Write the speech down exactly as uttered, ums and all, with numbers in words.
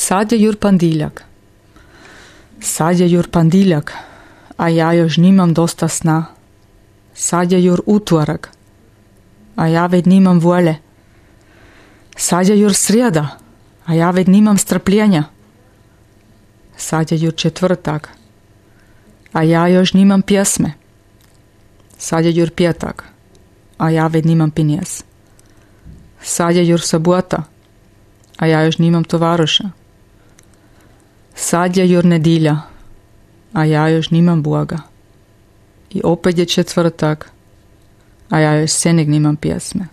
Sad je jur pandiljak. Sad je jur pandiljak, a ja još nimam dosta sna. Sad je jur utorak, a ja već nimam volje. Sad je jur srijeda, a ja već nimam strpljenja. Sad je jur četvrtak, a ja još nimam pjesme. Sad je jur pjetak, a ja već nimam pinjes. Sad je jur subota, a ja još nimam tovaruša. Sad je jur nedilja, a ja još nimam Boga. I opet je četvrtak, a ja još senig nimam pjesme.